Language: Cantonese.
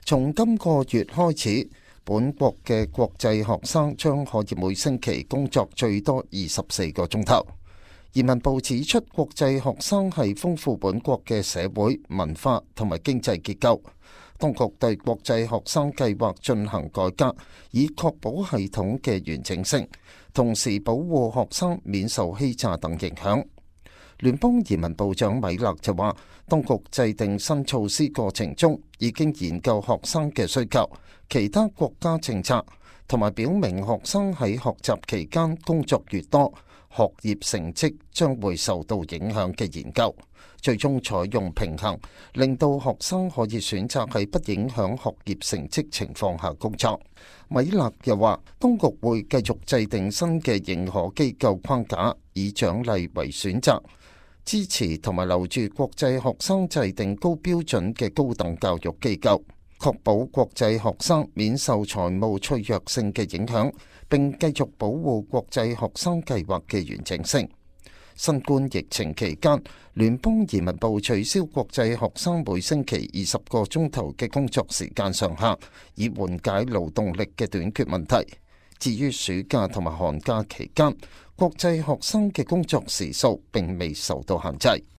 從今個月開始，本國嘅國際學生將可以每星期工作最多24個鐘頭。移民部指出，國際學生係豐富本國嘅社會、文化同埋經濟結構。當局對國際學生計劃進行改革，以確保系統嘅完整性，同時保護學生免受欺詐等影響。聯邦移民部長米勒就話，當局制定新措施過程中已經研究學生嘅需求、其他國家政策，同埋表明學生喺學習期間工作越多，學業成績將會受到影響嘅研究，最終採用平衡，令到學生可以選擇喺不影響學業成績情況下工作。米勒又話，當局會繼續制定新嘅認可機構框架，以獎勵為選擇，支持同埋留住國際學生制定高標準嘅高等教育機構，確保國際學生免受財務脆弱性嘅影響，並繼續保護國際學生計劃嘅完整性。新冠疫情期間，聯邦移民部取消國際學生每星期20個鐘頭嘅工作時間上限，以緩解勞動力嘅短缺問題。至於暑假同埋寒假期間，國際學生嘅工作時數並未受到限制。